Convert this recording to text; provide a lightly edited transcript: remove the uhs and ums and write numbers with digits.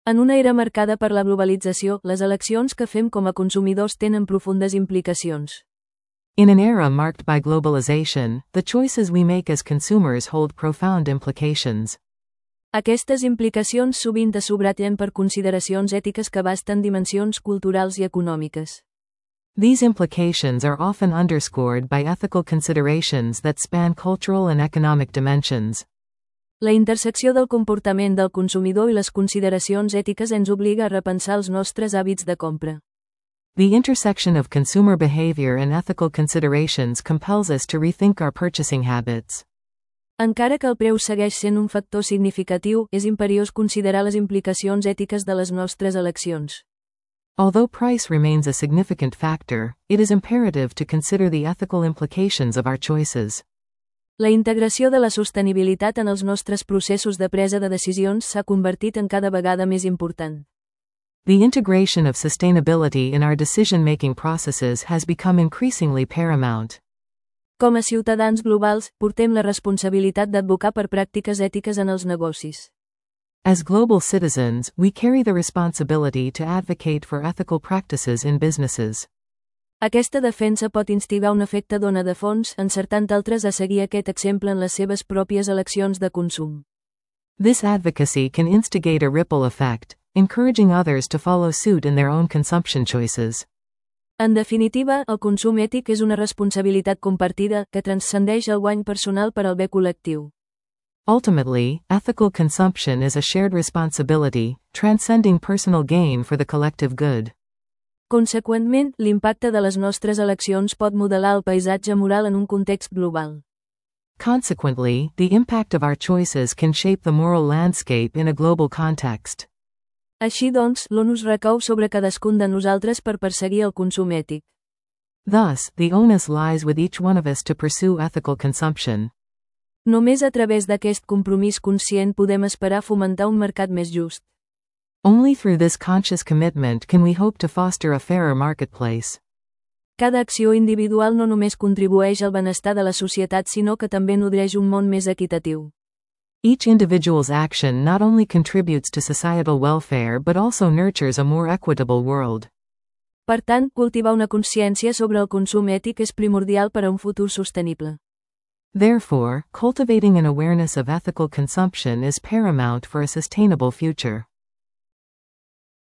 En una era marcada per la globalització, les eleccions que fem com a consumidors tenen profundes implicacions. In an era marked by globalization, the choices we make as consumers hold profound implications. Aquestes implicacions sovint es subratllen per consideracions ètiques que abasten dimensions culturals i econòmiques. These implications are often underscored by ethical considerations that span cultural and economic dimensions. La intersecció del comportament del consumidor i les consideracions ètiques ens obliga a repensar els nostres hàbits de compra. The intersection of consumer behavior and ethical considerations compels us to rethink our purchasing habits. Encara que el preu segueix sent un factor significatiu, és imperiós considerar les implicacions ètiques de les nostres eleccions. Although price remains a significant factor, it is imperative to consider the ethical implications of our choices. La integració de la sostenibilitat en els nostres processos de presa de decisions s'ha convertit en cada vegada més important. The integration of sustainability in our decision-making processes has become increasingly paramount. Com a ciutadans globals, portem la responsabilitat d'advocar per pràctiques ètiques en els negocis. As global citizens, we carry the responsibility to advocate for ethical practices in businesses. Aquesta defensa pot instigar un efecte d'ona de fons, encertant altres a seguir aquest exemple en les seves pròpies eleccions de consum. This advocacy can instigate a ripple effect, encouraging others to follow suit in their own consumption choices. En definitiva, el consum ètic és una responsabilitat compartida, que transcendeix el guany personal per al bé col·lectiu. Ultimately, ethical consumption is a shared responsibility, transcending personal gain for the collective good. Conseqüentment, l'impacte de les nostres eleccions pot modelar el paisatge moral en un context global. Consequently, the impact of our choices can shape the moral landscape in a global context. Així doncs, l'onus recau sobre cadascun de nosaltres per perseguir el consum ètic. Thus, the onus lies with each one of us to pursue ethical consumption. Només a través d'aquest compromís conscient podem esperar fomentar un mercat més just. Only through this conscious commitment can we hope to foster a fairer marketplace. Cada acció individual no només contribueix al benestar de la societat sinó que també nodreix un món més equitatiu. Each individual's action not only contributes to societal welfare but also nurtures a more equitable world. Per tant, cultivar una consciència sobre el consum ètic és primordial per a un futur sostenible. Therefore, cultivating an awareness of ethical consumption is paramount for a sustainable future.